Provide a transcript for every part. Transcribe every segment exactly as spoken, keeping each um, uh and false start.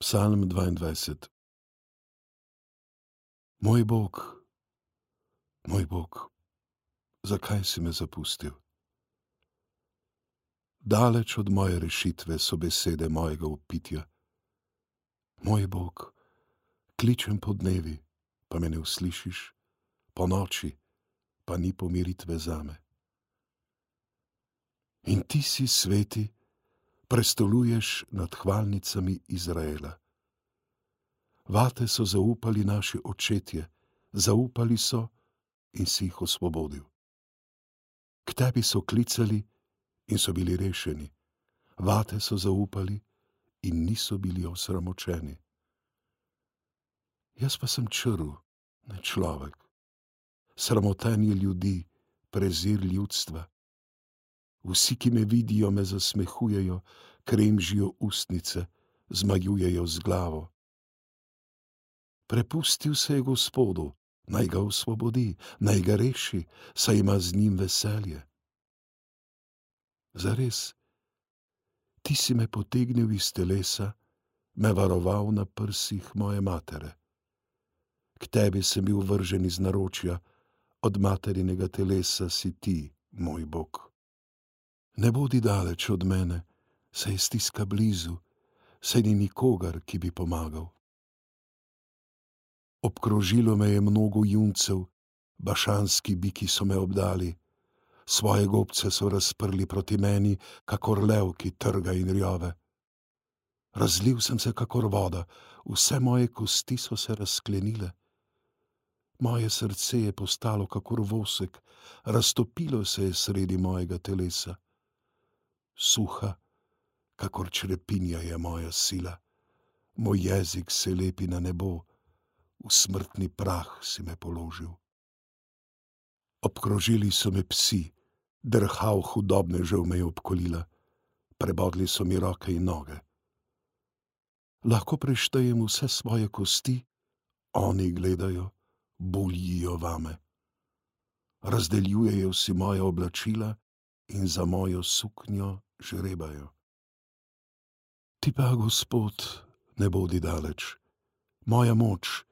Psalm dvaindvajset. Moj Bog, moj Bog, zakaj si me zapustil? Daleč od moje rešitve so besede mojega vpitja. Moj Bog, kličem po dnevi, pa me ne uslišiš, po noči, pa ni pomiritve zame. In ti si, sveti, prestoluješ nad hvalnicami Izraela. Vate so zaupali naši očetje, zaupali so in si jih osvobodil. K tebi so klicali in so bili rešeni. Vate so zaupali in niso bili osramočeni. Jaz pa sem črv, ne človek. Sramotenje ljudi, prezir ljudstva. Vsi, ki me vidijo, me zasmehujejo, kremžijo ustnice, zmajujejo z glavo. Prepustil se je Gospodu, naj ga osvobodi, naj ga reši, saj ima z njim veselje. Zares, ti si me potegnil iz telesa, me varoval na prsih moje matere. K tebi sem bil vržen iz naročja, od materinega telesa si ti, moj Bog. Ne bodi daleč od mene, saj je stiska blizu, saj ni nikogar, ki bi pomagal. Obkrožilo me je mnogo juncev, bašanski biki so me obdali, svoje gobce so razprli proti meni, kakor lev, ki trga in rjove. Razlil sem se kakor voda, vse moje kosti so se razklenile. Moje srce je postalo kakor vosek, raztopilo se je sredi mojega telesa. Suha, kakor črepinja je moja sila, moj jezik se lepi na nebo, v smrtni prah si me položil. Obkrožili so me psi, drhav hudobnežev me je obkolila, prebodli so mi roke in noge. Lahko preštejem vse svoje kosti, oni gledajo, bolijo vame. Razdeljujejo si moja oblačila in za mojo suknjo žrebajo. Ti pa, Gospod, ne bodi daleč, moja moč,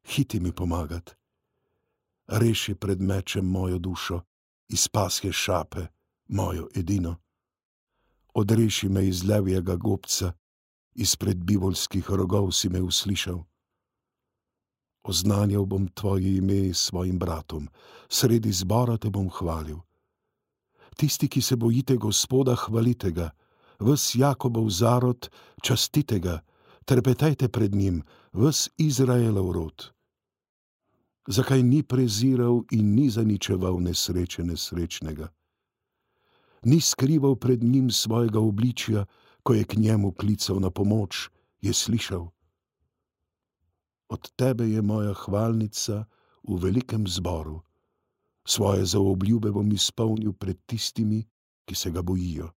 hiti mi pomagat. Reši pred mečem mojo dušo, iz pasje šape, mojo edino. Odreši me iz levjega gobca, izpred bivoljskih rogov si me uslišal. Oznanjal bom tvoje ime svojim bratom, sredi zbora te bom hvalil. Tisti, ki se bojite Gospoda, hvalite ga, ves Jakobov zarod, častite ga, trepetejte pred njim, ves Izraelov rod. Zakaj ni preziral in ni zaničeval nesreče nesrečnega? Ni skrival pred njim svojega obličja, ko je k njemu klical na pomoč, je slišal. Od tebe je moja hvalnica v velikem zboru. Svoje zaobljube bom izpolnil pred tistimi, ki se ga bojijo.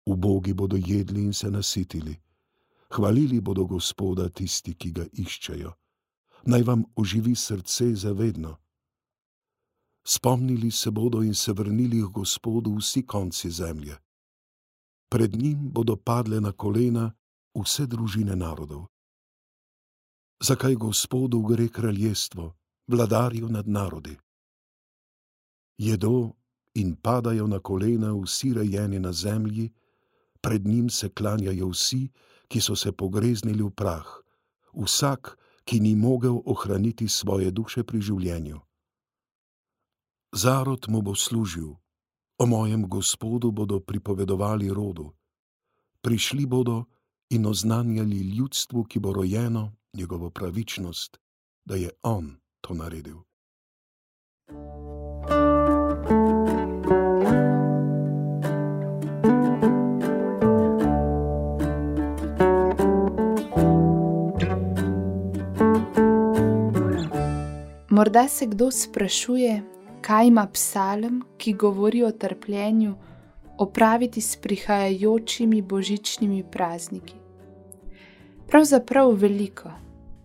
Ubogi bodo jedli in se nasitili. Hvalili bodo Gospoda tisti, ki ga iščejo. Naj vam oživi srce zavedno. Spomnili se bodo in se vrnili k Gospodu vsi konci zemlje. Pred njim bodo padle na kolena vse družine narodov. Zakaj Gospodu gre kraljestvo, vladarju nad narodi? Jedo in padajo na kolena vsi rejeni na zemlji, pred njim se klanjajo vsi, ki so se pogreznili v prah, vsak, ki ni mogel ohraniti svoje duše pri življenju. Zarod mu bo služil, o mojem Gospodu bodo pripovedovali rodu. Prišli bodo in oznanjali ljudstvu, ki bo rojeno, njegovo pravičnost, da je on to naredil. Morda se kdo sprašuje, kaj ima psalm, ki govori o trpljenju, opraviti s prihajajočimi božičnimi prazniki. Pravzaprav veliko,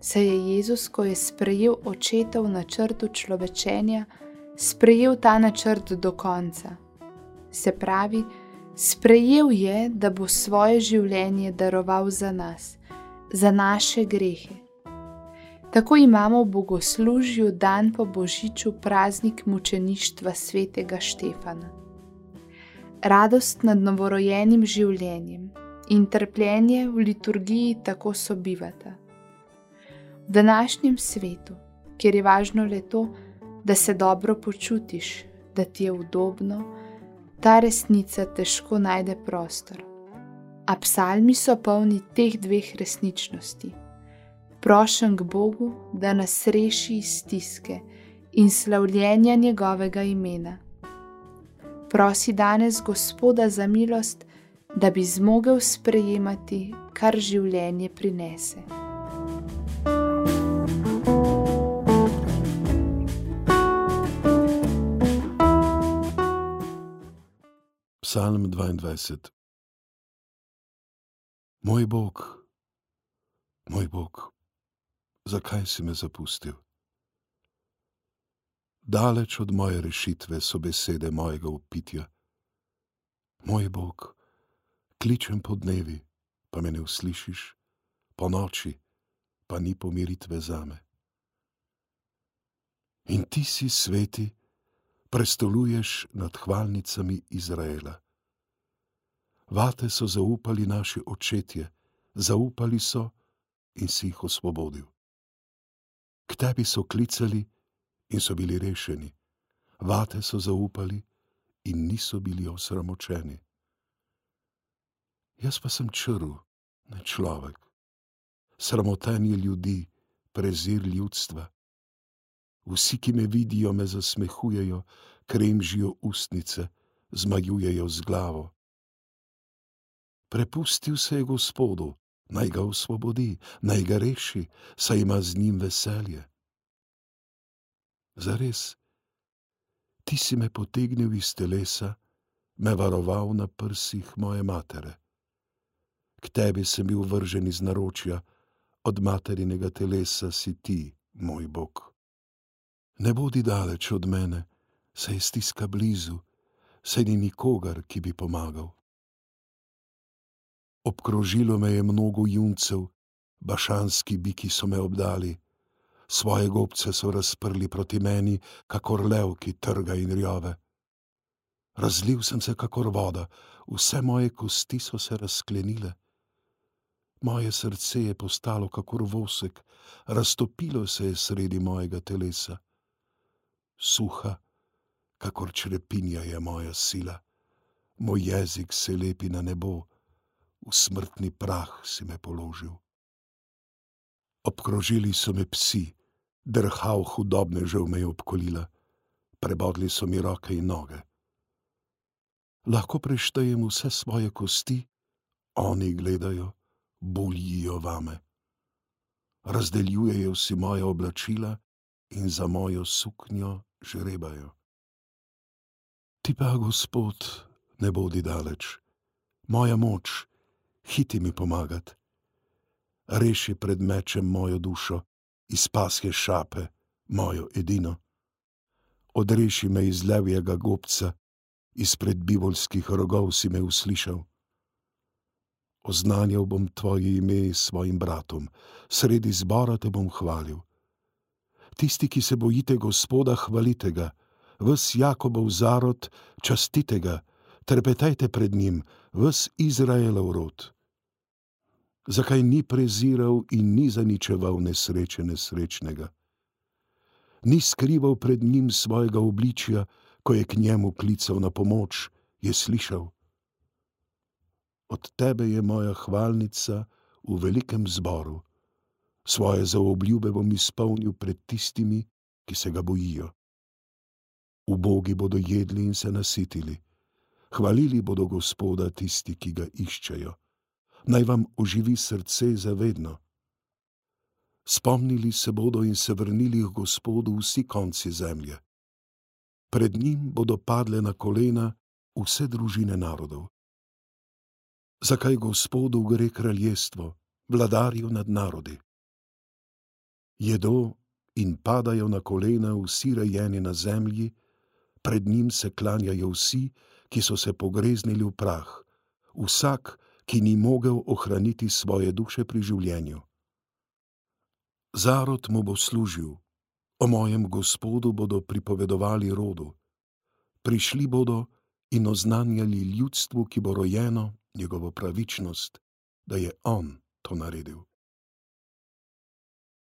saj je Jezus, ko je sprejel očetov načrt človečenja, sprejel ta načrt do konca. Se pravi, sprejel je, da bo svoje življenje daroval za nas, za naše grehe. Tako imamo v bogoslužju dan po božiču praznik mučeništva svetega Štefana. Radost nad novorojenim življenjem in trpljenje v liturgiji tako sobivata. V današnjem svetu, kjer je važno le to, da se dobro počutiš, da ti je udobno, ta resnica težko najde prostor. A psalmi so polni teh dveh resničnosti. Prošen k Bogu, da nas reši iz stiske in slavljenja njegovega imena. Prosi danes Gospoda za milost, da bi zmogel sprejemati, kar življenje prinese. Psalm dvaindvajset. Moj Bog, moj Bog, zakaj si me zapustil? Daleč od moje rešitve so besede mojega vpitja. Moj Bog, kličem po dnevi, pa me ne uslišiš, po noči, pa ni pomiritve zame. In ti si sveti, prestoluješ nad hvalnicami Izraela. Vate so zaupali naši očetje, zaupali so in si jih osvobodil. K tebi so klicali in so bili rešeni. Vate so zaupali in niso bili osramočeni. Jaz pa sem črv, ne človek. Sramotenje ljudi, prezir ljudstva. Vsi, ki me vidijo, me zasmehujejo, kremžijo ustnice, zmajujejo z glavo. Prepustil se je Gospodu, naj ga osvobodi, naj ga reši, saj ima z njim veselje. Zares, ti si me potegnil iz telesa, me varoval na prsih moje matere. K tebi sem bil vržen iz naročja, od materinega telesa si ti, moj Bog. Ne bodi daleč od mene, saj je stiska blizu, saj ni nikogar, ki bi pomagal. Obkrožilo me je mnogo juncev, bašanski biki so me obdali, svoje gobce so razprli proti meni, kakor lev, ki trga in rjove. Razlil sem se kakor voda, vse moje kosti so se razklenile. Moje srce je postalo kakor vosek, raztopilo se je sredi mojega telesa. Suha, kakor črepinja je moja sila, moj jezik se lepi na nebo, v smrtni prah si me položil. Obkrožili so me psi, drhav hudobnežev me je obkolila, prebodli so mi roke in noge. Lahko preštejem vse svoje kosti, oni gledajo, buljijo vame. Razdeljujejo si moje oblačila in za mojo suknjo žrebajo. Ti pa, Gospod, ne bodi daleč, moja moč, hiti mi pomagat. Reši pred mečem mojo dušo, iz pasje šape, mojo edino. Odreši me iz levjega gobca, izpred bivolskih rogov si me uslišal. Oznanjal bom tvoje ime svojim bratom, sredi zbora te bom hvalil. Tisti, ki se bojite Gospoda, hvalite ga, ves Jakobov zarod, častite ga, trepetejte pred njim, ves Izraelov rod. Zakaj ni preziral in ni zaničeval nesreče nesrečnega? Ni skrival pred njim svojega obličja, ko je k njemu klical na pomoč, je slišal. Od tebe je moja hvalnica v velikem zboru. Svoje zaobljube bom izpolnil pred tistimi, ki se ga bojijo. Ubogi bodo jedli in se nasitili. Hvalili bodo Gospoda tisti, ki ga iščejo. Naj vam oživi srce zavedno. Spomnili se bodo in se vrnili k Gospodu vsi konci zemlje. Pred njim bodo padle na kolena vse družine narodov. Zakaj Gospodu gre kraljestvo, vladarju nad narodi? Jedo in padajo na kolena vsi rejeni na zemlji, pred njim se klanjajo vsi, ki so se pogreznili v prah, vsak, ki ni mogel ohraniti svoje duše pri življenju. Zarod mu bo služil, o mojem Gospodu bodo pripovedovali rodu. Prišli bodo in oznanjali ljudstvu, ki bo rojeno, njegovo pravičnost, da je on to naredil.